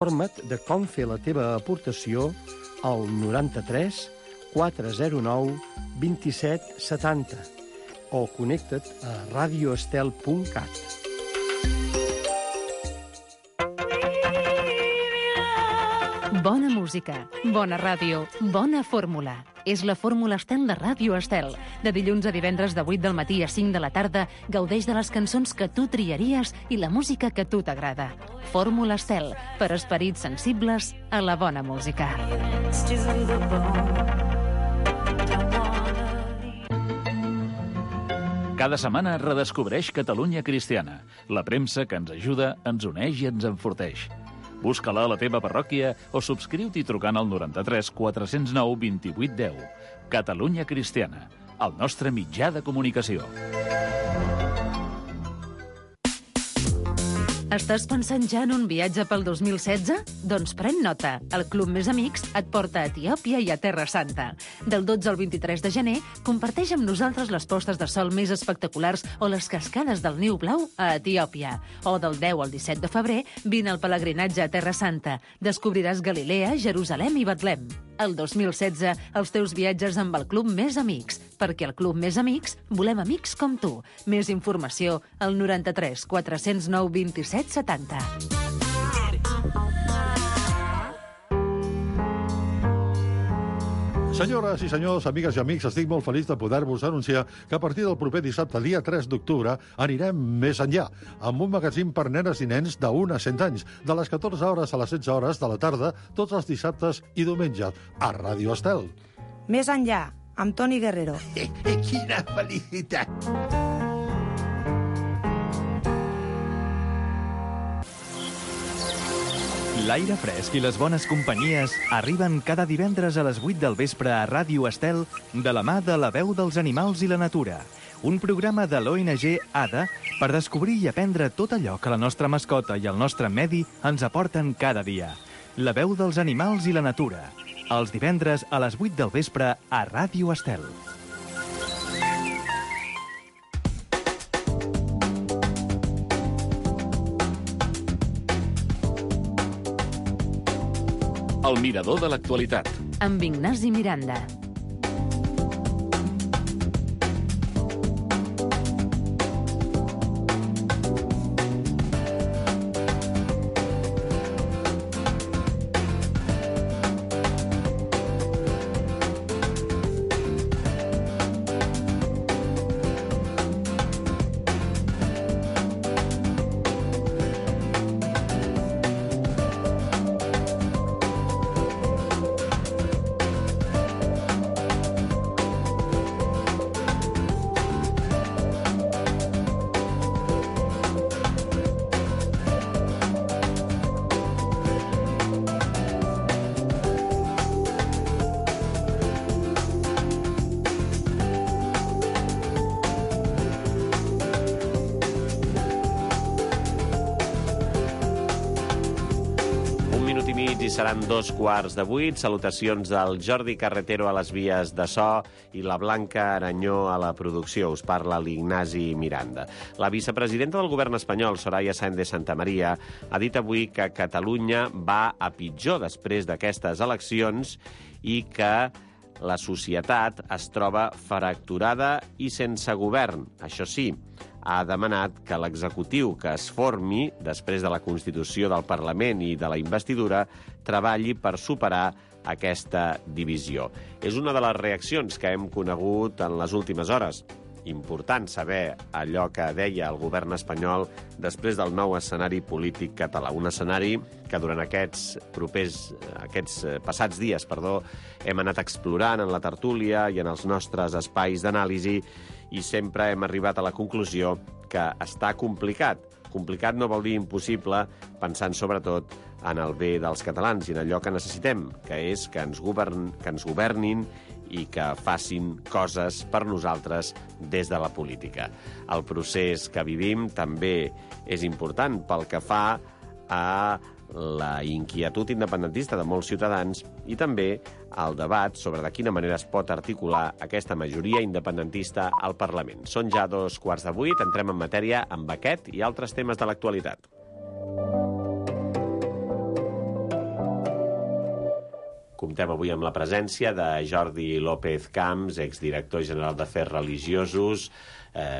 Informa't de com fer la teva aportació al 93 409 27 70 o connecta't a radioestel.cat. Bona música, bona ràdio, bona fórmula. És la Fórmula Estel de Ràdio Estel. De dilluns a divendres de 8 del matí a 5 de la tarda, gaudeix de les cançons que tu triaries i la música que a tu t'agrada. Fórmula Estel, per esperits sensibles a la bona música. Cada setmana redescobreix Catalunya Cristiana, la premsa que ens ajuda, ens uneix i ens enforteix. Busca-la a la teva parròquia o subscriu-t'hi trucant al 93 409 28 10. Catalunya Cristiana, el nostre mitjà de comunicació. Estàs pensant ja en un viatge pel 2016? Doncs pren nota. El Club Més Amics et porta a Etiòpia i a Terra Santa. Del 12 al 23 de gener, comparteix amb nosaltres les postes de sol més espectaculars o les cascades del Niu Blau a Etiòpia. O del 10 al 17 de febrer, vine al pelegrinatge a Terra Santa. Descobriràs Galilea, Jerusalem i Betlem. El 2016, els teus viatges amb el Club Més Amics. Perquè al Club Més Amics volem amics com tu. Més informació al 93 409 27 70. Senyores i senyors, amigues i amics, estic molt feliç de poder-vos anunciar que a partir del proper dissabte, dia 3 d'octubre, anirem més enllà, amb un magazín per nenes i nens de 1 a 100 anys, de les 14 hores a les 16 hores de la tarda, tots els dissabtes i diumenges, a Ràdio Estel. Més enllà, amb Toni Guerrero. Quina felicitat! L'aire fresc i les bones companyies arriben cada divendres a les 8 del vespre a Ràdio Estel de la mà de La Veu dels Animals i la Natura, un programa de l'ONG ADA per descobrir i aprendre tot allò que la nostra mascota i el nostre medi ens aporten cada dia. La Veu dels Animals i la Natura, els divendres a les 8 del vespre a Ràdio Estel. El mirador de l'actualitat. Amb Ignasi Miranda. I seran 2:15. Salutacions del Jordi Carretero a les vies de so i la Blanca Aranyó a la producció. Us parla l'Ignasi Miranda. La vicepresidenta del govern espanyol, Soraya Sáenz de Santamaría, ha dit avui que Catalunya va a pitjor després d'aquestes eleccions i que la societat es troba fracturada i sense govern. Això sí, ha demanat que l'executiu que es formi després de la Constitució del Parlament i de la investidura treballi per superar aquesta divisió. És una de les reaccions que hem conegut en les últimes hores. Important saber allò que deia el govern espanyol després del nou escenari polític català. Un escenari que durant aquests passats dies, hem anat explorant en la tertúlia i en els nostres espais d'anàlisi i sempre hem arribat a la conclusió que està complicat. Complicat no vol dir impossible, pensant sobretot en el bé dels catalans i en allò que necessitem, que és que ens governin i que facin coses per nosaltres des de la política. El procés que vivim també és important pel que fa a la inquietud independentista de molts ciutadans i també al debat sobre de quina manera es pot articular aquesta majoria independentista al Parlament. Són ja 7:15, entrem en matèria amb aquest i altres temes de l'actualitat. Comptem avui amb la presència de Jordi López Camps, exdirector general d'Afers Religiosos,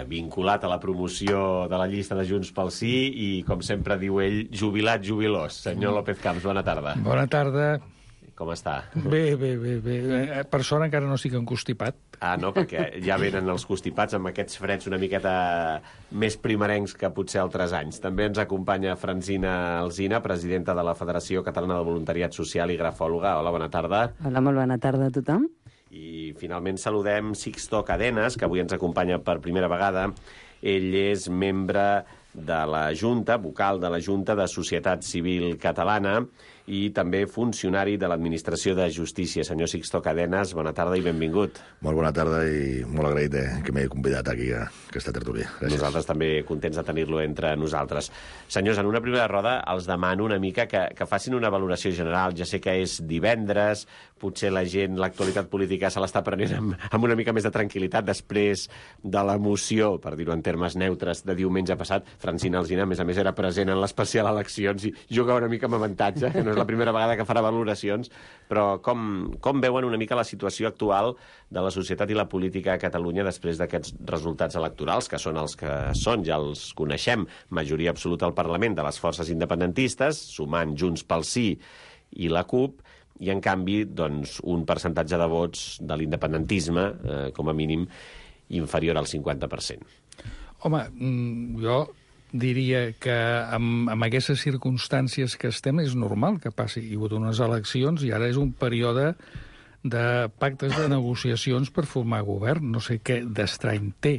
vinculat a la promoció de la llista de Junts pel Sí i, com sempre diu ell, jubilat jubilós. Senyor López Camps, bona tarda. Bona tarda. Com està? Bé. Per sort encara no estic encostipat. Ah, no, perquè ja venen els constipats amb aquests freds una miqueta més primerencs que potser altres anys. També ens acompanya Francina Alsina, presidenta de la Federació Catalana de Voluntariat Social i grafòloga. Hola, bona tarda. Hola, molt bona tarda a tothom. I finalment saludem Sixto Cadenas, que avui ens acompanya per primera vegada. Ell és membre de la Junta, vocal de la Junta de Societat Civil Catalana i també funcionari de l'Administració de Justícia. Senyor Sixto Cadenas, bona tarda i benvingut. Molt bona tarda i molt agraït que m'hagi convidat aquí a aquesta tertúlia. Gràcies. Nosaltres també contents de tenir-lo entre nosaltres. Senyors, en una primera roda els demano una mica que facin una valoració general. Ja sé que és divendres, potser la gent, l'actualitat política se l'està prenent amb una mica més de tranquil·litat després de l'emoció, per dir-ho en termes neutres, de diumenge passat. Francina Alsina, a més, era present en l'especial eleccions i juga una mica amb avantatge, que no és la primera vegada que farà valoracions, però com veuen una mica la situació actual de la societat i la política a Catalunya després d'aquests resultats electorals, que són els que són, ja els coneixem, majoria absoluta al Parlament de les forces independentistes, sumant Junts pel Sí i la CUP, i en canvi doncs, un percentatge de vots de l'independentisme, com a mínim, inferior al 50%. Home, jo diria que amb aquestes circumstàncies que estem és normal que passi. Hi ha hagut unes eleccions i ara és un període de pactes de negociacions per formar govern. No sé què d'estrany té.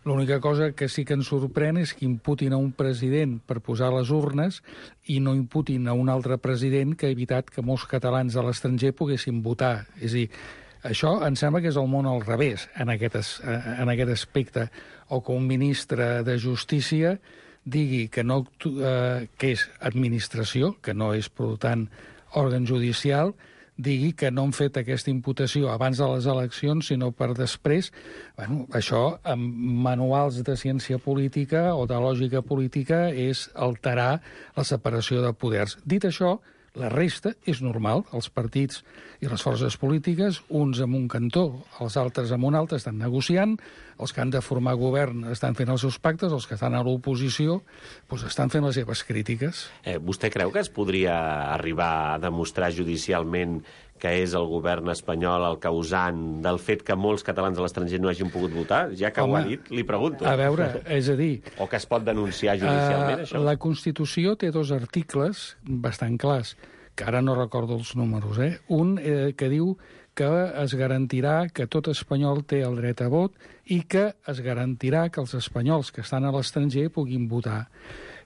L'única cosa que sí que ens sorprèn és que imputin a un president per posar les urnes i no imputin a un altre president que ha evitat que molts catalans a l'estranger poguessin votar. És a dir, això em sembla que és el món al revés en aquest aspecte. O que un ministre de Justícia digui que és administració, que no és, per tant, òrgan judicial, digui que no han fet aquesta imputació abans de les eleccions, sinó per després. Bueno, això, amb manuals de ciència política o de lògica política, és alterar la separació de poders. Dit això, la resta és normal. Els partits i les forces polítiques, uns en un cantó, els altres en un altre, estan negociant, els que han de formar govern estan fent els seus pactes, els que estan a l'oposició doncs estan fent les seves crítiques. Vostè creu que es podria arribar a demostrar judicialment que és el govern espanyol el causant del fet que molts catalans a l'estranger no hagin pogut votar? Ja que ho ha dit, li pregunto. A veure, és a dir... O que es pot denunciar judicialment, això? La Constitució té 2 articles bastant clars, que ara no recordo els números. Un que diu que es garantirà que tot espanyol té el dret a vot i que es garantirà que els espanyols que estan a l'estranger puguin votar.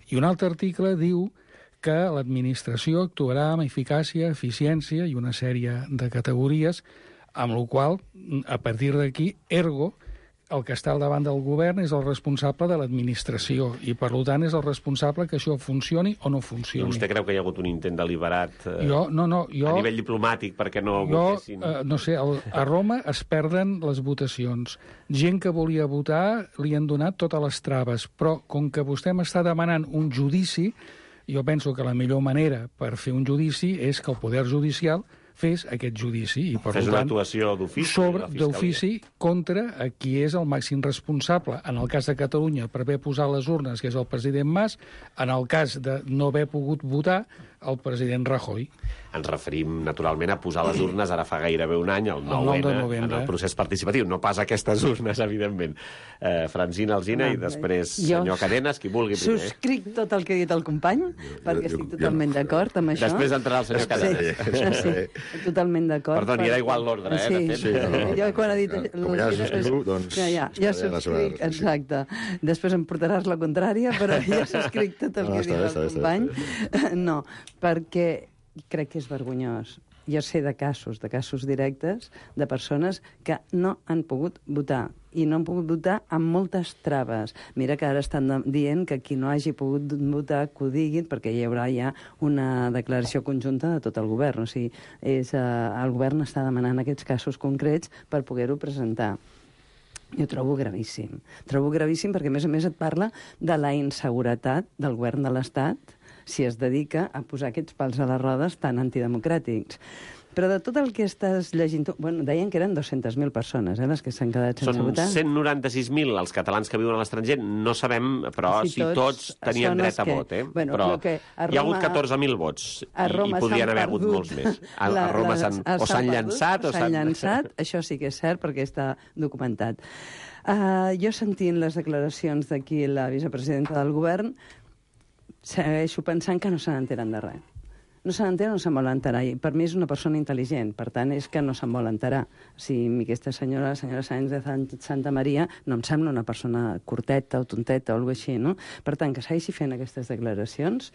I un altre article diu que l'administració actuarà amb eficàcia, eficiència i una sèrie de categories, amb la qual a partir d'aquí, ergo, el que està al davant del govern és el responsable de l'administració i, per tant, és el responsable que això funcioni o no funcioni. I vostè creu que hi ha hagut un intent deliberat a nivell diplomàtic perquè no votessin? No sé, a Roma es perden les votacions. Gent que volia votar li han donat totes les traves, però com que vostè m'està demanant un judici, jo penso que la millor manera per fer un judici és que el poder judicial fes aquest judici. I, per fes tant, una actuació d'ofici contra qui és el màxim responsable. En el cas de Catalunya, per haver posat les urnes, que és el president Mas, en el cas de no haver pogut votar, el president Rajoy. Ens referim, naturalment, a posar les urnes ara fa gairebé un any, el 9 de novembre, en el procés participatiu. No pas aquestes urnes, evidentment. Francina Alsina i després senyor Cadenas, qui vulgui primer. Subscric tot el que ha dit el company, perquè estic totalment d'acord amb això. Després entrarà el senyor Cadenas. Sí, totalment d'acord. Perdoni, era igual l'ordre, Sí, jo quan ha dit... Com ja subscriu, doncs... Ja subscric, exacte. Després em portaràs la contrària, però ja subscric tot el que ha dit el company. No, perquè crec que és vergonyós. Jo sé de casos directes de persones que no han pogut votar i no han pogut votar amb moltes traves. Mira que ara estan dient que qui no hagi pogut votar que ho diguin, perquè hi haurà ja una declaració conjunta de tot el govern. O sigui, el govern està demanant aquests casos concrets per poder-ho presentar. Jo trobo gravíssim. Trobo gravíssim perquè, a més et parla de la inseguretat del govern de l'Estat, si es dedica a posar aquests pals a les rodes tan antidemocràtics. Però de tot el que estàs llegint... Bueno, deien que eren 200.000 persones, les que s'han quedat sense votar. Són 196.000 els catalans que viuen a l'estranger. No sabem, però si tots tenien dret a vot, Bueno, però que hi ha hagut 14.000 vots i podrien haver hagut molts més. A Roma s'han llançat o s'han llançat, això sí que és cert perquè està documentat. Jo sentint les declaracions d'aquí la vicepresidenta del govern segueixo pensant que no se n'enteren de res. No se n'entera, no se'n vol enterar. I per mi és una persona intel·ligent, per tant, és que no se'n vol enterar. Si aquesta senyora, la senyora Sáenz de Santa Maria, no em sembla una persona curteta o tonteta o alguna cosa així, no? Per tant, que segueixi fent aquestes declaracions,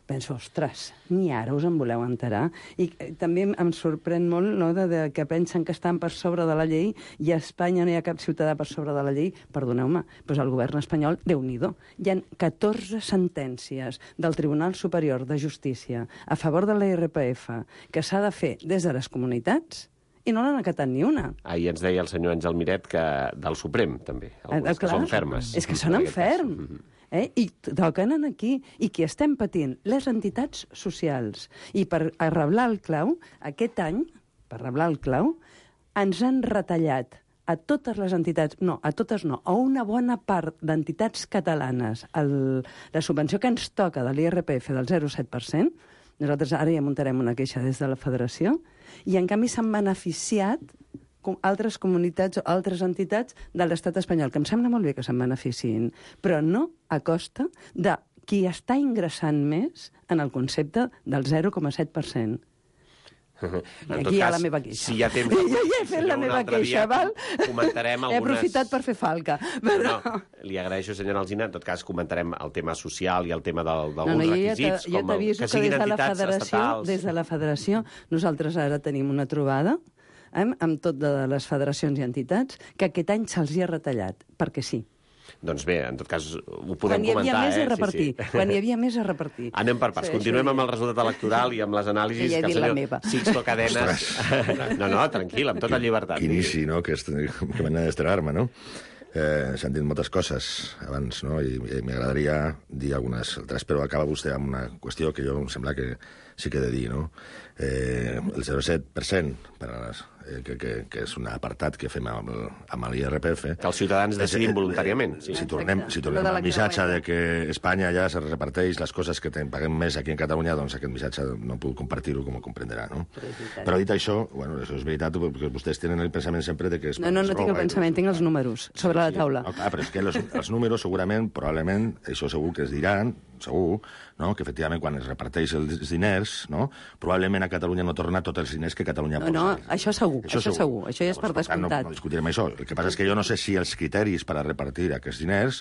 penso, ostres, ni ara us en voleu enterar? I també em sorprèn molt, no?, de que pensen que estan per sobre de la llei i a Espanya no hi ha cap ciutadà per sobre de la llei. Perdoneu-me, doncs el govern espanyol, Déu-n'hi-do. Hi ha 14 sentències del Tribunal Superior de Justícia a favor de la IRPF que s'ha de fer des de les comunitats i no n'han acatat ni una. Ahir ens deia el senyor Àngel Miret que del Suprem, també, algunes que són fermes. És que són enferms. I toquen aquí, i qui estem patint? Les entitats socials. I per arreblar el clau, aquest any, per arreblar el clau, ens han retallat a totes les entitats, no, a totes no, a una bona part d'entitats catalanes la subvenció que ens toca de l'IRPF del 0,7%, nosaltres ara ja muntarem una queixa des de la federació, i en canvi s'han beneficiat altres comunitats o altres entitats de l'estat espanyol, que em sembla molt bé que se'n beneficiïn, però no a costa de qui està ingressant més en el concepte del 0,7%. Aquí hi ha la meva queixa. Si hi ha temps... Ja he fet la meva queixa, val? Comentarem algunes... He aprofitat per fer falca. Però... No, li agraeixo, senyora Alsina. En tot cas, comentarem el tema social i el tema d'alguns requisits, jo t'aviso que des de la federació nosaltres ara tenim una trobada amb tot de les federacions i entitats, que aquest any se'ls hi ha retallat, perquè sí. Doncs bé, en tot cas, ho podem comentar. Quan hi havia més a repartir. Quan hi havia més a repartir. Anem per parts. Continuem amb el resultat electoral i amb les anàlisis que el senyor Sixto Cadenes... No, tranquil, amb tota llibertat. Quin inici, no?, que manera d'estrenar-me, no? S'han dit moltes coses abans, no?, i m'agradaria dir algunes altres, però acaba vostè amb una qüestió que jo em sembla que sí que he de dir, no? El 0,7% per a les... que és un apartat que fem amb l'IRPF. Que els ciutadans decidim voluntàriament. Sí. Si tornem al missatge de que Espanya ja se reparteix les coses que paguem més aquí en Catalunya, doncs aquest missatge no puc compartir-ho, com ho comprenderà, no? Però dit això, bueno, això és veritat, perquè vostès tenen el pensament sempre de que... No tinc el pensament, tinc els números sobre la taula. Però és que els números segurament, probablement, això segur que es diran, segur, no?, que efectivament quan es reparteix els diners, no?, probablement a Catalunya no torna tots els diners que Catalunya posa. No, això segur, això ja és per descomptat. No discutirem això. El que passa és que jo no sé si els criteris per a repartir aquests diners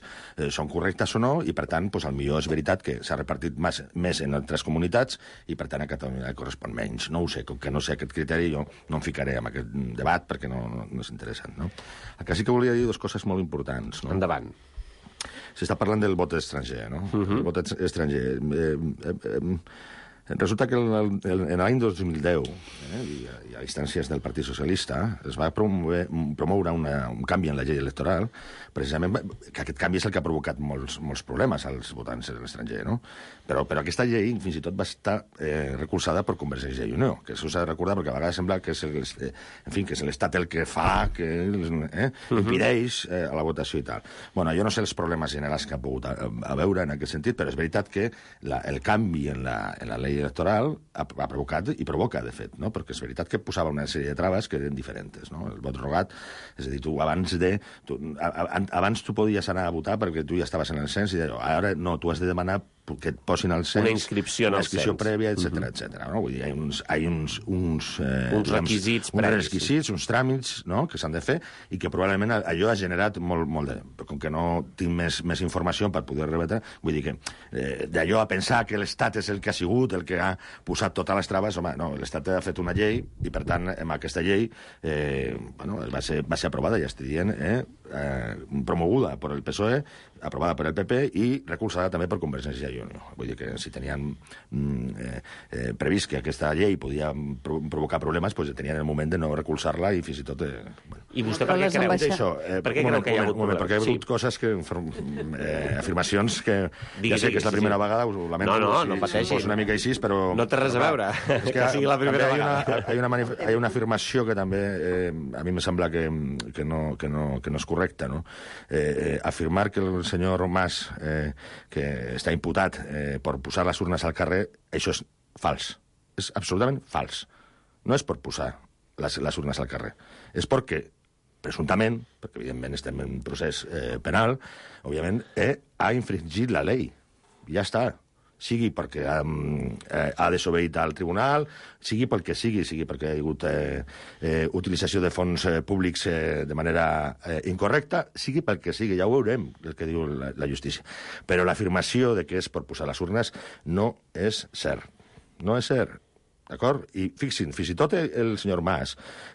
són correctes o no, i per tant, doncs, potser és veritat que s'ha repartit més en altres comunitats i per tant a Catalunya correspon menys. No ho sé, com que no sé aquest criteri, jo no em ficaré en aquest debat perquè no és interessant, no? El que sí que volia dir dues coses molt importants, no? Endavant. S'està parlant del vot estranger, no? El vot estranger. Resulta que en l'any 2010, i a instàncies del Partit Socialista, es va promoure un canvi en la llei electoral, precisament que aquest canvi és el que ha provocat molts problemes als votants de l'estranger, no? Però aquesta llei fins i tot va estar recolzada per Convergència i Unió, que això s'ha de recordar perquè a vegades sembla que és l'Estat el que fa, que impedeix a la votació i tal. Bueno, jo no sé els problemes generals que ha pogut haver en aquest sentit, però és veritat que el canvi en la llei electoral ha provocat i provoca, de fet, no? Perquè és veritat que posava una sèrie de traves que eren diferents, no? El vot rogat, és a dir, abans tu podies anar a votar perquè tu ja estaves en el cens i ara no, tu has de demanar que et posin al cens... Una inscripció en el cens. Una inscripció prèvia, etc. No? Vull dir, hi ha uns requisits previs. Uns tràmits, no?, que s'han de fer i que probablement allò ha generat molt de... Però com que no tinc més informació per poder rebatre, vull dir que d'allò a pensar que l'Estat és el que ha sigut, el que ha posat totes les traves, home, no, l'Estat ha fet una llei i, per tant, amb aquesta llei va ser aprovada, ja estic dient, promoguda per el PSOE, aprovada per el PP i recolzada també per Convergència i Unió. Vull dir que si tenien previst que aquesta llei podia provocar problemes, doncs tenien el moment de no recolzar-la i fins i tot... I vostè per què creu això? Per què creu que hi ha hagut problemes? Perquè hi ha hagut coses que... afirmacions que... Ja sé que és la primera vegada, us ho lamento. No pateixi. Si fos una mica així, però... No té res a veure que sigui la primera vegada. Hi ha una afirmació que també a mi em sembla que no és correcta, no? Afirmar que el senyor Mas, que està imputat per posar les urnes al carrer, això és fals. És absolutament fals. No és per posar les urnes al carrer. És perquè presumptament, perquè evidentment estem en procés penal, òbviament, ha infringit la llei. Ja està. Sigui perquè ha desobeït al tribunal, sigui pel que sigui perquè hi ha hagut utilització de fons públics de manera incorrecta, sigui pel que sigui, ja ho veurem, el que diu la justícia. Però l'afirmació de que és per posar les urnes no és cert. No és cert. D'acord? I fixin, fins i tot el senyor Mas,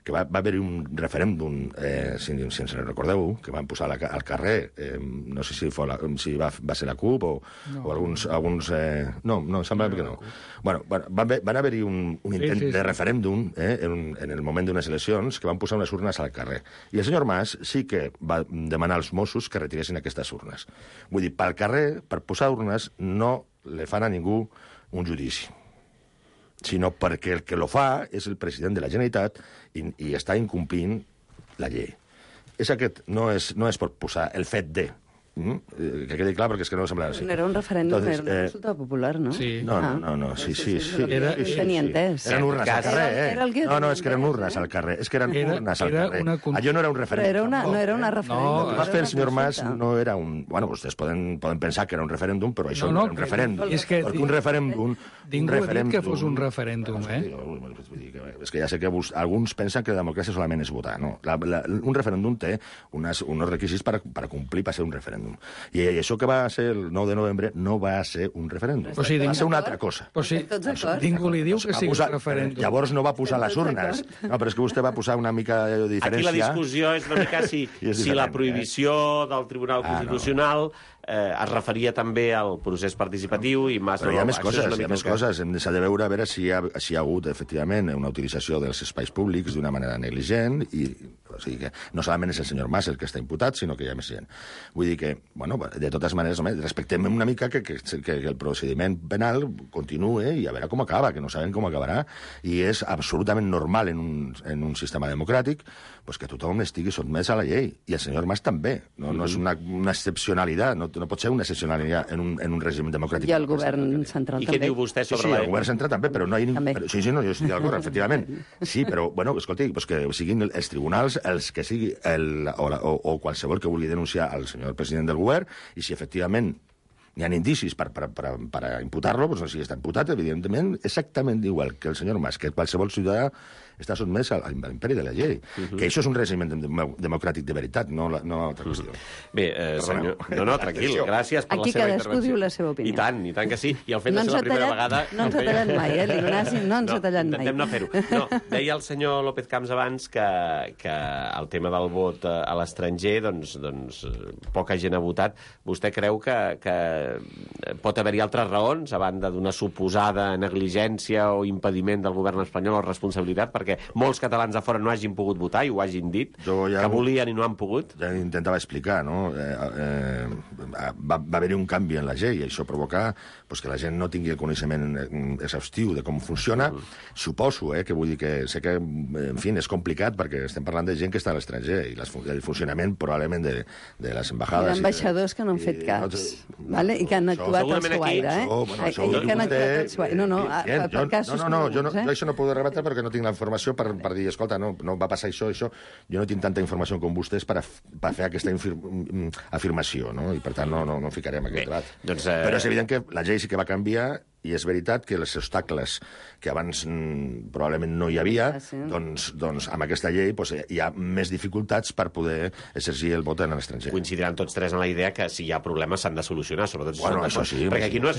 que va haver-hi un referèndum, si ens recordeu, que van posar al carrer, no sé si va ser la CUP o alguns... No, sembla que no. Bueno, van haver-hi un intent de referèndum en el moment d'unes eleccions que van posar unes urnes al carrer. I el senyor Mas sí que va demanar als Mossos que retiressin aquestes urnes. Vull dir, pel carrer, per posar urnes, no le fan a ningú un judici, sinó perquè el que lo fa és el president de la Generalitat i està incomplint la llei. És aquest, no és per posar el fet de... que quedi clar, perquè és que no sembla així. No era un referèndum, era una consulta popular, no? Sí. No, sí. Tenia entès. Eren urnes al carrer, No, és que eren urnes al carrer. És que eren urnes al carrer. Allò no era un referèndum. No era una referèndum. El que va fer el senyor Mas no era un... Bueno, vostès poden pensar que era un referèndum, però això no era un referèndum. Perquè un referèndum... Ningú ha dit que fos un referèndum, És que ja sé que alguns pensen que la democràcia solament és votar, no? Un referèndum té uns requisits per complir per ser un referèndum. I això que va ser el 9 de novembre no va ser un referèndum. Va ser una altra cosa. Ningú li diu que sigui un referèndum. Llavors no va posar les urnes. No, però és que vostè va posar una mica de diferència. Aquí la discussió és una mica si la prohibició del Tribunal Constitucional es referia també al procés participatiu i Mas... Però hi ha més coses. S'ha de veure a veure si hi ha hagut, efectivament, una utilització dels espais públics d'una manera negligent i... O sigui que no solament és el senyor Mas el que està imputat, sinó que hi ha més gent. Vull dir que, bueno, de totes maneres, respectem una mica que el procediment penal continue i a veure com acaba, que no sabem com acabarà, i és absolutament normal en un sistema democràtic que tothom estigui sotmès a la llei. I el senyor Mas també. No és una excepcionalitat, no pot ser una excepcionalitat en un règim democràtic. I el govern central també. I què diu vostè sobre el govern central també, però no hi ha... Sí, jo estic d'acord, efectivament. Sí, però, bueno, escolti, que siguin els tribunals els que sigui o qualsevol que vulgui denunciar al senyor president del govern, i si efectivament hi ha indicis per imputar-lo, doncs si està imputat, evidentment, exactament igual que el senyor Mas, que qualsevol ciutadà està sotmès a l'imperi de la llei. Que això és un règim democràtic de veritat, no altra qüestió. Bé, senyor... No, tranquil, gràcies per la seva intervenció. Aquí cadascú diu la seva opinió. I tant que sí. I el fet de ser la primera vegada... No ens ha tallat mai, l'Ignasi no ens ha tallat mai. Intentem no fer-ho. No, deia el senyor López Camps abans que el tema del vot a l'estranger, doncs poca gent ha votat. Vostè creu que pot haver-hi altres raons, a banda d'una suposada negligència o impediment del govern espanyol o responsabilitat, perquè molts catalans de fora no hagin pogut votar i ho hagin dit, que volien i no han pogut? Ja intentava explicar, no? Va haver-hi un canvi en la llei i això provoca que la gent no tingui el coneixement exhaustiu de com funciona. Suposo, que vull dir que sé que, en fi, és complicat perquè estem parlant de gent que està a l'estranger i el funcionament probablement de les embajades... Hi ha ambaixadors que no han fet cas, i que han actuat al seu aire, que han actuat al seu aire. No, per casos jo això no puc rebatre perquè no tinc la informació per dir, escolta, no va passar això. Jo no tinc tanta informació com vostès per fer aquesta afirmació, no? I per tant no ficarem aquest debat. Però és evident que la llei sí que va canviar i és veritat que els obstacles que abans probablement no hi havia, doncs amb aquesta llei hi ha més dificultats per poder exercir el vot en l'estranger. Coincidiran tots tres en la idea que si hi ha problemes s'han de solucionar, sobretot... Bueno, això sí. Perquè aquí no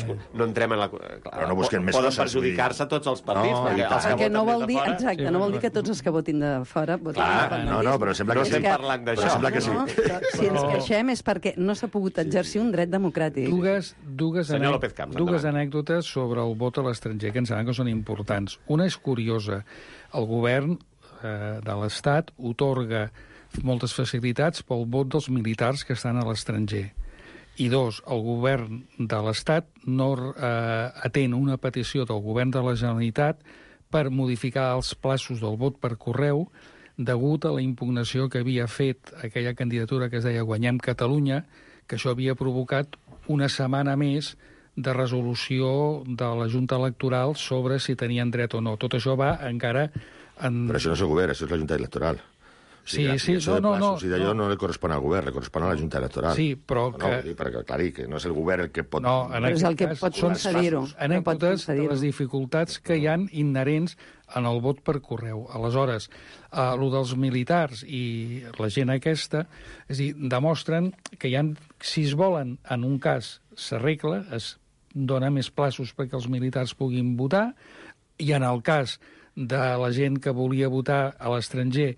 entrem en la... Però no busquen més coses. Poden perjudicar-se tots els partits. Perquè no vol dir, exacte, no vol dir que tots els que votin de fora votin independentista. No, però sembla que estem parlant d'això. Sembla que sí. Si ens queixem és perquè no s'ha pogut exercir un dret democràtic. Dues anècdotes sobre el vot a l'estranger, que em sembla que són importants. Una és curiosa. El govern de l'Estat otorga moltes facilitats pel vot dels militars que estan a l'estranger. I dos, el govern de l'Estat no atén una petició del govern de la Generalitat per modificar els plaços del vot per correu degut a la impugnació que havia fet aquella candidatura que es deia Guanyem Catalunya, que això havia provocat una setmana més de resolució de la Junta Electoral sobre si tenien dret o no. Tot això va encara... Però això no és el govern, això és la Junta Electoral. Sí, no, d'allò no li correspon al govern, li correspon a la Junta Electoral. Sí, però perquè, clar, que no és el govern el que pot... No, però és el que pot concedir-ho. Anècdotes de les dificultats que hi han inherents en el vot per correu. Aleshores, el dels militars i la gent aquesta, és a dir, demostren que si es volen, en un cas s'arregla, es dona més plaços perquè els militars puguin votar, i en el cas de la gent que volia votar a l'estranger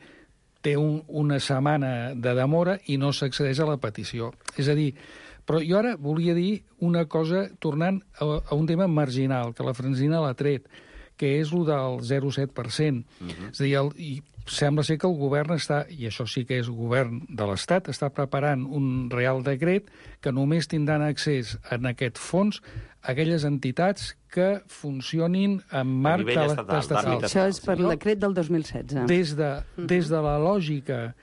té una setmana de demora i no s'accedeix a la petició. És a dir, però jo ara volia dir una cosa, tornant a un tema marginal, que la Francina l'ha tret, que és el del 0,7%. És a dir, sembla ser que el govern està, i això sí que és govern de l'Estat, està preparant un Real Decret que només tindran accés en aquest fons aquelles entitats que funcionin en marc estatal. Això és per el decret del 2016. Des de la lògica...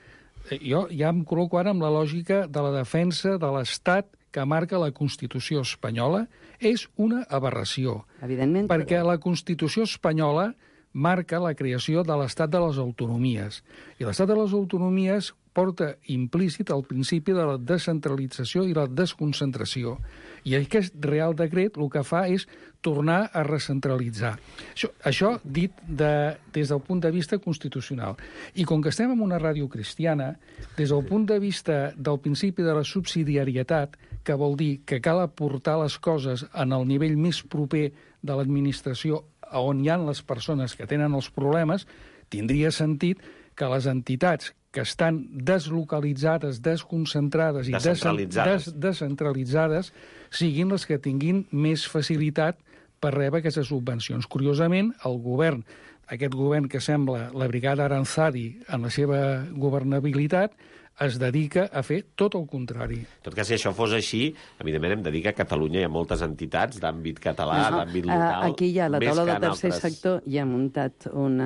Jo ja em col·loco ara amb la lògica de la defensa de l'Estat que marca la Constitució espanyola, és una aberració. Evidentment. Perquè la Constitució espanyola marca la creació de l'Estat de les Autonomies. I l'Estat de les Autonomies porta implícit el principi de la descentralització i la desconcentració. I aquest Real Decret el que fa és tornar a recentralitzar. Això dit des del punt de vista constitucional. I com que estem en una ràdio cristiana, des del punt de vista del principi de la subsidiarietat, que vol dir que cal aportar les coses en el nivell més proper de l'administració on hi ha les persones que tenen els problemes, tindria sentit que les entitats que estan deslocalitzades, desconcentrades i descentralitzades siguin les que tinguin més facilitat per rebre aquestes subvencions. Curiosament, el govern, aquest govern que sembla la brigada Aranzadi en la seva governabilitat, es dedica a fer tot el contrari. En tot cas, si això fos així, evidentment hem de dir que a Catalunya hi ha moltes entitats d'àmbit català, d'àmbit local... Aquí hi ha la taula del tercer sector, hi ha muntat un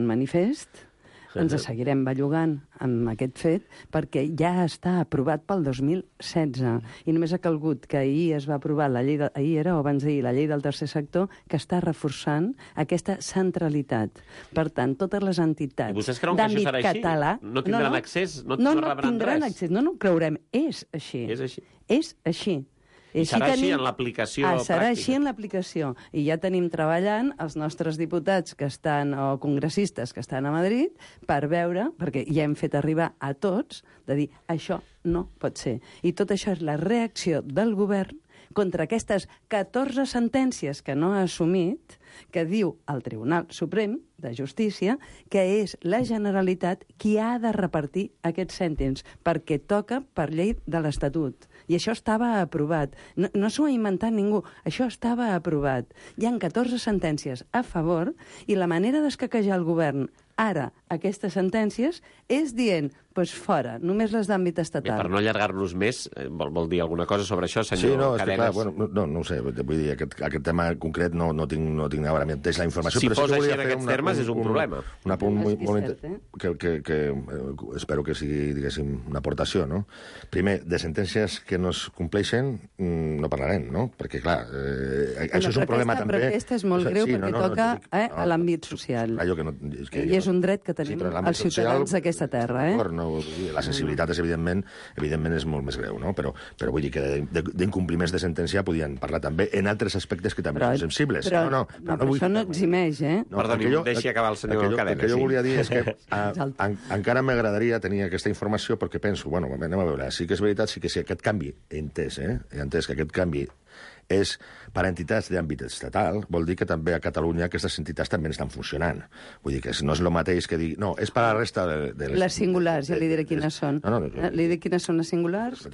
manifest. Ens seguirem bellugant amb aquest fet perquè ja està aprovat pel 2016 i només ha calgut que ahir es va aprovar la llei, ahir era o abans d'ahir, la llei del tercer sector que està reforçant aquesta centralitat. Per tant, totes les entitats d'àmbit català... No tindran accés? No tindran accés, no ho creurem. És així. És així. I serà així en l'aplicació pràctica? Serà així en l'aplicació. I ja tenim treballant els nostres diputats que estan, o congressistes que estan a Madrid, per veure, perquè ja hem fet arribar a tots, de dir, això no pot ser. I tot això és la reacció del govern contra aquestes 14 sentències que no ha assumit, que diu el Tribunal Suprem de Justícia que és la Generalitat qui ha de repartir aquests cèntims, perquè toca per llei de l'Estatut. I això estava aprovat. No s'ho ha inventat ningú. Això estava aprovat. Hi ha 14 sentències a favor i la manera d'escaquejar el govern ara aquestes sentències és dient, doncs fora, només les d'àmbit estatal. Per no allargar-nos més, vol dir alguna cosa sobre això, senyor Sí, no, és Cadenes? que clar, no ho sé, vull dir, aquest tema concret no tinc ara mateix la informació. Si però fos sí així en aquests termes és un problema. Un apunt molt que espero que sigui, diguéssim, una aportació, no? Primer, de sentències que no es compleixen no parlarem, no? Perquè, clar, això és un problema també... Però aquesta és molt greu perquè toca a l'àmbit social. I és un dret que tenim els ciutadans d'aquesta terra, La sensibilitat és, evidentment és molt més greu, no? Però vull dir que d'incompliments de sentència podien parlar també en altres aspectes que també són sensibles. Però això no eximeix, Perdoni, deixi acabar el senyor Cadenes. El que jo volia dir és que encara m'agradaria tenir aquesta informació perquè penso, bueno, anem a veure, sí que és veritat, sí que aquest canvi, he entès que aquest canvi és per a entitats d'àmbit estatal, vol dir que també a Catalunya aquestes entitats també estan funcionant. Vull dir que no és el mateix que dir... No, és per a la resta de les singulars, ja li diré quines són. Li diré quines són les singulars?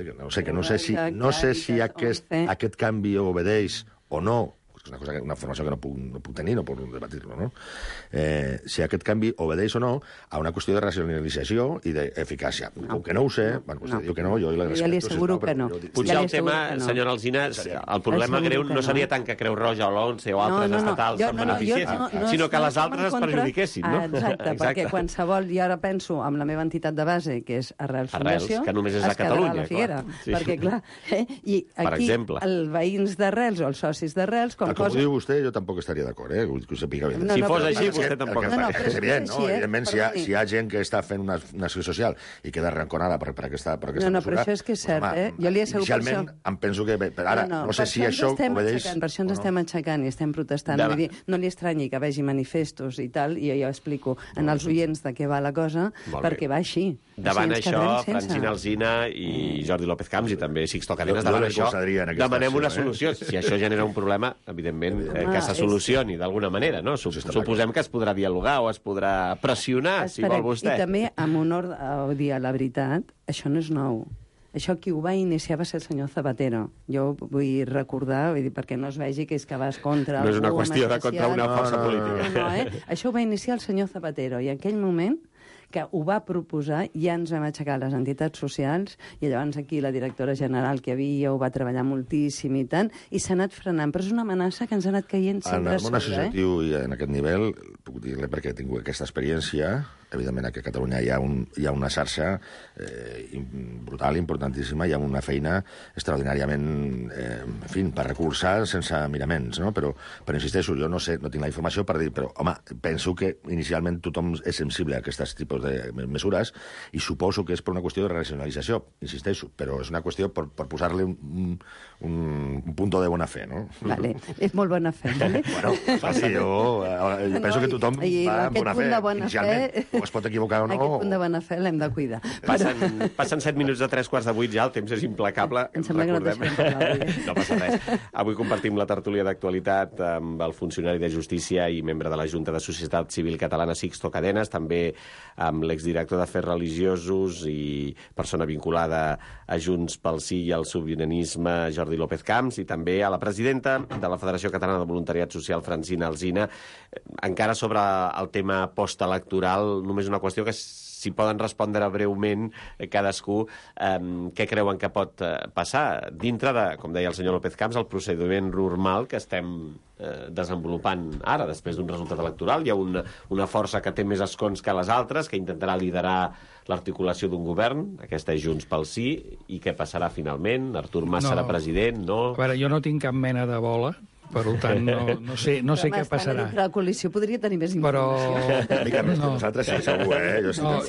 No sé si aquest canvi obedeix o no, és una informació que no puc tenir, no puc debatir-lo, no? Si aquest canvi obedeix o no a una qüestió de racionalització i d'eficàcia. Com que no ho sé, bueno, vostè diu que no, jo li asseguro que no. Potser el tema, senyora Alsina, el problema greu no seria tant que Creu Roja o l'ONCE o altres estatals se'n beneficiessin, sinó que les altres es perjudiquessin, no? Exacte, perquè qualsevol, i ara penso amb la meva entitat de base, que és Arrels Fundació, que només és a Catalunya, clar. Perquè, clar, i aquí els veïns d'Arrels o els socis d'Arrels... Com ho diu vostè, jo tampoc estaria d'acord, que ho sàpiga bé. Si fos així, vostè tampoc estaria. És evident, no? Evidentment, si hi ha gent que està fent una acció social i queda arranconada per aquesta mesura... No, però això és que és cert, Jo li asseguro per això... Inicialment, em penso que... Ara, no sé si això obedeix... Per això ens estem aixecant i estem protestant. Vull dir, no li estranyi que vegi manifestos i tal, i jo explico en els oients de què va la cosa, perquè va així. Davant això, Francina Alsina i Jordi López Camps i també Sixto Cadenes, davant això, demanem una solució. Si això genera un problema, evidentment, que se solucioni d'alguna manera, no? Suposem que es podrà dialogar o es podrà pressionar, si vol vostè. I també, amb honor a dir la veritat, això no és nou. Això qui ho va iniciar va ser el senyor Zapatero. Jo vull recordar, perquè no es vegi que és que vas contra... No és una qüestió de contra una força política. Això ho va iniciar el senyor Zapatero, i en aquell moment que ho va proposar, ja ens vam aixecar les entitats socials, i llavors aquí la directora general que havia ho va treballar moltíssim i tant, i s'ha anat frenant, però és una amenaça que ens ha anat caient sempre sobre. En el món associatiu i en aquest nivell, puc dir-li perquè he tingut aquesta experiència, evidentment aquí a Catalunya hi ha una xarxa brutal, importantíssima, hi ha una feina extraordinàriament, en fi, per recolzar sense miraments, no? Però insisteixo, jo no sé, no tinc la informació per dir, però, home, penso que inicialment tothom és sensible a aquests tipus de mesures i suposo que és per una qüestió de racionalització, insisteixo, però és una qüestió per posar-li un punto de bona fe, no? Vale, és molt bona fe, vale? Bueno, sí, jo penso que tothom va amb bona fe, inicialment. O es pot equivocar o no. Aquest punt de bona fe l'hem de cuidar. Passen 7 minuts de 3:15 ja, el temps és implacable. Em sembla que no deixem parlar avui. No passa res. Avui compartim la tertúlia d'actualitat amb el funcionari de Justícia i membre de la Junta de Societat Civil Catalana, Sixto Cadenes, també amb l'exdirector d'Afers Religiosos i persona vinculada a Junts pel Sí i al Sobiranisme, Jordi López Camps, i també a la presidenta de la Federació Catalana de Voluntariat Social, Francina Alsina. Encara sobre el tema postelectoral, només una qüestió que si poden respondre breument cadascú què creuen que pot passar dintre de, com deia el senyor López Camps, el procediment normal que estem desenvolupant ara, després d'un resultat electoral. Hi ha una força que té més escons que les altres, que intentarà liderar l'articulació d'un govern, aquesta és Junts pel Sí, i què passarà finalment? Artur Mas serà president, no? A veure, jo no tinc cap mena de bola, per tant, no sé què passarà. La coalició podria tenir més informació. Però... Mica més que nosaltres, sí, segur,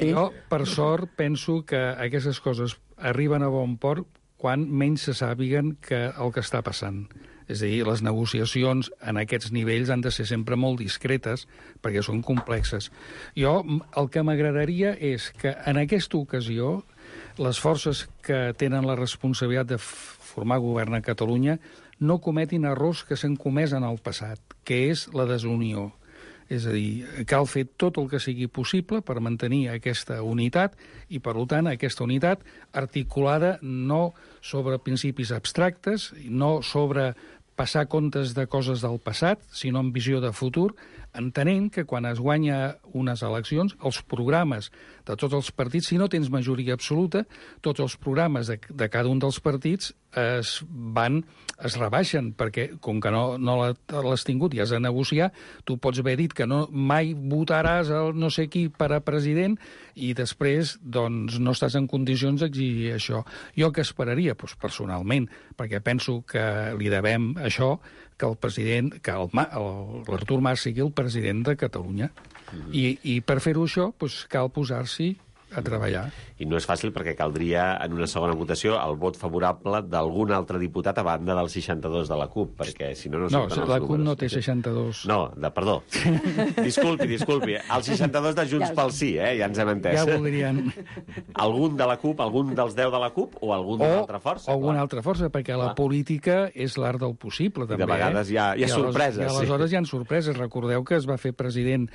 Jo, per sort, penso que aquestes coses arriben a bon port quan menys se sàpiguen el que està passant. És a dir, les negociacions en aquests nivells han de ser sempre molt discretes perquè són complexes. Jo, el que m'agradaria és que en aquesta ocasió les forces que tenen la responsabilitat de formar govern a Catalunya no cometin errors que s'han comès en el passat, que és la desunió. És a dir, cal fer tot el que sigui possible per mantenir aquesta unitat i, per tant, aquesta unitat articulada no sobre principis abstractes, no sobre passar comptes de coses del passat, sinó amb visió de futur, entenent que quan es guanya unes eleccions, els programes de tots els partits, si no tens majoria absoluta, tots els programes de cada un dels partits es rebaixen, perquè com que no l'has tingut i has de negociar, tu pots haver dit que mai votaràs el no sé qui per a president i després doncs, no estàs en condicions d'exigir això. Jo què esperaria? Doncs, personalment, perquè penso que li devem això, que el president, que l'Artur Mas sigui el president de Catalunya. I per fer-ho això, doncs, cal posar-s'hi a treballar. I no és fàcil perquè caldria, en una segona votació, el vot favorable d'algun altre diputat a banda del 62 de la CUP, perquè si no... No, la CUP no té 62. No, perdó. Disculpi. El 62 de Junts pel Sí, ja ens hem entès. Ja voldrien... Algun de la CUP, algun dels 10 de la CUP o algun d'una altra força? O alguna altra força, perquè la política és l'art del possible, també. I de vegades hi ha sorpreses. I aleshores hi ha sorpreses. Recordeu que es va fer president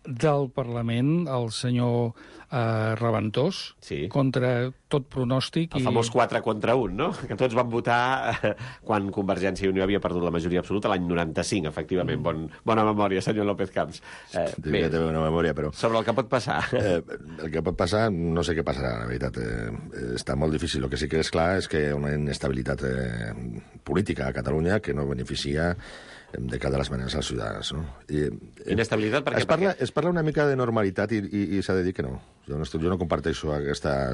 del Parlament, el senyor Raventós, contra tot pronòstic. El famós 4 contra 1, no? Que tots van votar quan Convergència i Unió havia perdut la majoria absoluta l'any 95, efectivament. Bona memòria, senyor López Camps. Bé, té una memòria, però... Sobre el que pot passar. El que pot passar, no sé què passarà, la veritat. Està molt difícil. El que sí que és clar és que hi ha una inestabilitat política a Catalunya que no beneficia de cada de les maneres als ciutadans. No? Inestabilitat perquè... Es parla una mica de normalitat i s'ha de dir que no. Jo no comparteixo aquesta...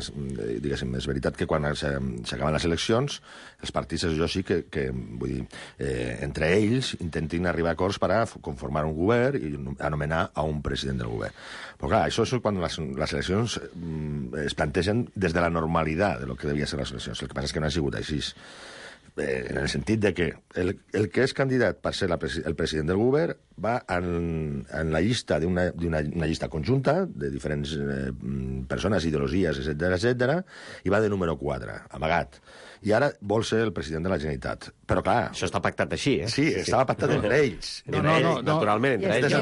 Diguéssim, és veritat que quan s'acaben les eleccions, els partits, jo sí que vull dir, entre ells intentin arribar a acords per a conformar un govern i anomenar a un president del govern. Però clar, això és quan les eleccions es plantegen des de la normalitat de lo que devia ser les eleccions. El que passa és que no ha sigut així. En el sentit de que el que és candidat per ser el president del govern va en la llista d'una llista conjunta de diferents persones, ideologies, etc., i va de número 4, amagat. I ara vol ser el president de la Generalitat. Però, clar... Això està pactat així, eh? Sí, estava pactat entre ells. Naturalment, entre ells.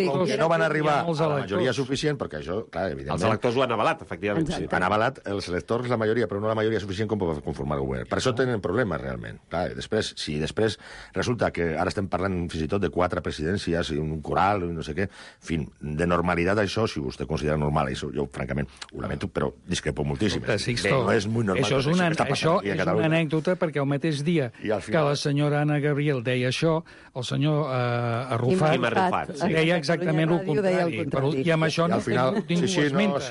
Com que no van arribar a la majoria suficient, perquè això, clar, evidentment... Els electors ho han avalat, efectivament. Han avalat els electors la majoria, però no la majoria suficient com per conformar el govern. Per això tenen problemes, realment. Clar, si després resulta que ara estem parlant fins i tot de 4 presidències i un coral, no sé què, en fi, de normalitat això, si vostè considera normal, això jo, francament, ho lamento, però discrepo moltíssim. No és molt normal. Això és una anècdota, perquè el mateix dia que la senyora Anna Gabriel deia això, el senyor Arrufat deia exactament el contrari. I amb això ningú ho esmenta.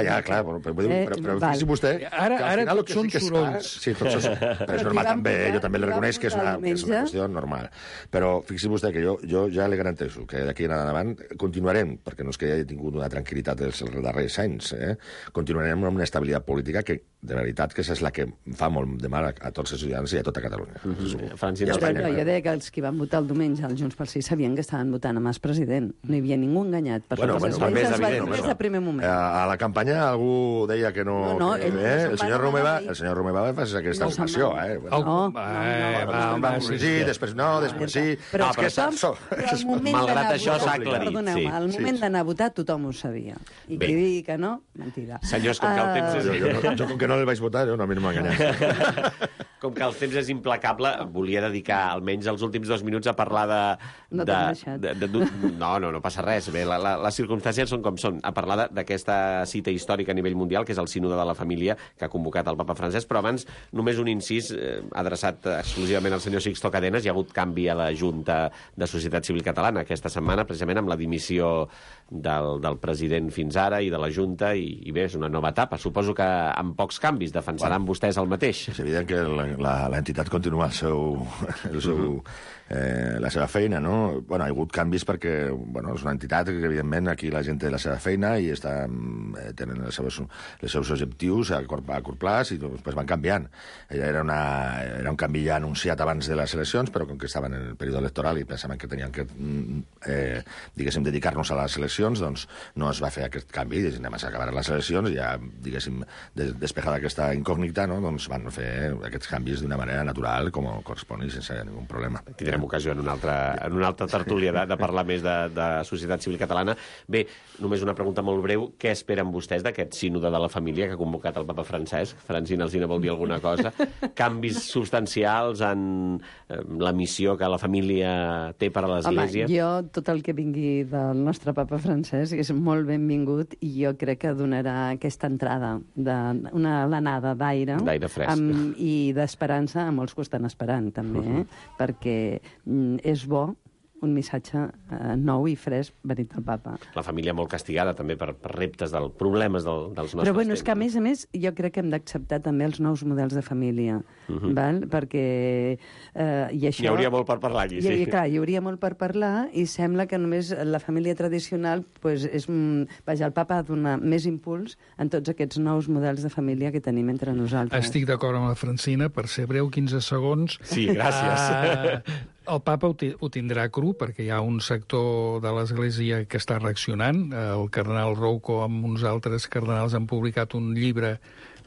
Ja, clar, però fixi vostè que al final tots són sorolls. Sí, tots són sorolls. Però és normal també, jo també li reconeix que és una qüestió normal. Però fixi vostè que jo ja li garanteixo que d'aquí en endavant continuarem, perquè no és que hagi tingut una tranquil·litat els darrers anys, continuarem amb una estabilitat política que, de veritat, que és la que fa molt de mal a tots els ciutadans i a tota Catalunya. Jo deia que els que van votar el diumenge al Junts pel Sí sabien que estaven votant a Mas president. No hi havia ningú enganyat. Des de primer moment. A la campanya algú deia que no... El senyor Romeva va fer aquesta afirmació. Sí, després no, després sí... Però malgrat això s'ha aclarit. Perdoneu, al moment d'anar a votar tothom ho sabia. I qui digui que no, mentida. Senyors, com que el temps és... Jo, com que no el vaig votar, a mi no m'ha enganyat. Com que el temps és implacable, volia dedicar almenys els últims 2 minuts a parlar de... No t'han deixat. No passa res. Bé, les circumstàncies són com són. A parlar d'aquesta cita històrica a nivell mundial, que és el Sínode de la Família, que ha convocat el papa Francesc, però abans només un incís adreçat exclusivament al senyor Sixto Cadenas. Hi ha hagut canvi a la Junta de Societat Civil Catalana aquesta setmana, precisament amb la dimissió del president fins ara i de la Junta, i bé, és una nova etapa. Suposo que amb pocs canvis defensaran vostès el mateix. És evident que l'entitat continua la seva feina, no? Bueno, hi ha hagut canvis perquè és una entitat que, evidentment, aquí la gent té la seva feina i tenen els seus objectius a curt plaç i després van canviant. Era un canvi ja anunciat abans de les eleccions, però com que estaven en el període electoral i pensaven que tenien que, diguéssim, dedicar-nos a les eleccions, doncs no es va fer aquest canvi. Anem a acabar les eleccions i ja, diguéssim, despejada aquesta incògnita, no? Doncs van fer aquests canvis d'una manera natural, com correspon i sense ningú problema. Tindrem ocasió en una altra tertúlia de parlar més de societat civil catalana. Bé, només una pregunta molt breu. Què esperen vostès d'aquest sínode de la família que ha convocat el papa Francesc? Francina Alsina vol dir alguna cosa? Canvis substancials en la missió que la família té per a l'Església? Home, jo, tot el que vingui del nostre papa Francesc és molt benvingut i jo crec que donarà aquesta entrada, una alenada d'aire fresc i d'esperança a molts que ho estan esperant, també, perquè és bo un missatge nou i fresc venit del papa. La família molt castigada també per reptes, problemes dels nostres temps. Però bueno, és que a més, jo crec que hem d'acceptar també els nous models de família, val? Perquè... i això... Hi hauria molt per parlar aquí, sí. Clar, hi hauria molt per parlar i sembla que només la família tradicional, pues, el papa ha de donar més impuls en tots aquests nous models de família que tenim entre nosaltres. Estic d'acord amb la Francina, per ser breu, 15 segons. Sí, gràcies. El papa ho tindrà cru, perquè hi ha un sector de l'Església que està reaccionant. El cardenal Rouco amb uns altres cardenals han publicat un llibre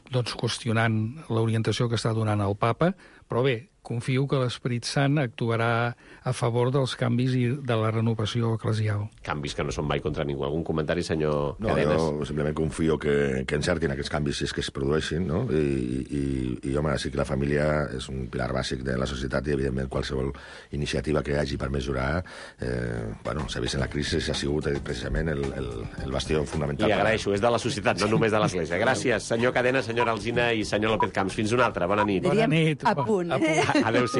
qüestionant l'orientació que està donant el papa. Però bé, confio que l'Esperit Sant actuarà a favor dels canvis i de la renovació eclesial. Canvis que no són mai contra ningú. Algun comentari, senyor Cadenes? Jo simplement confio que encertin aquests canvis si és que es produeixin, no? I home, sí que la família és un pilar bàsic de la societat i, evidentment, qualsevol iniciativa que hi hagi per mesurar, s'ha vist en la crisi, ha sigut precisament el bastió fonamental. Li agraeixo, és de la societat, no només de l'Església. Gràcies, senyor Cadenes, senyora Alsina i senyor López Camps. Fins una altra. Bona nit. Diríem a punt. Adéu-siau.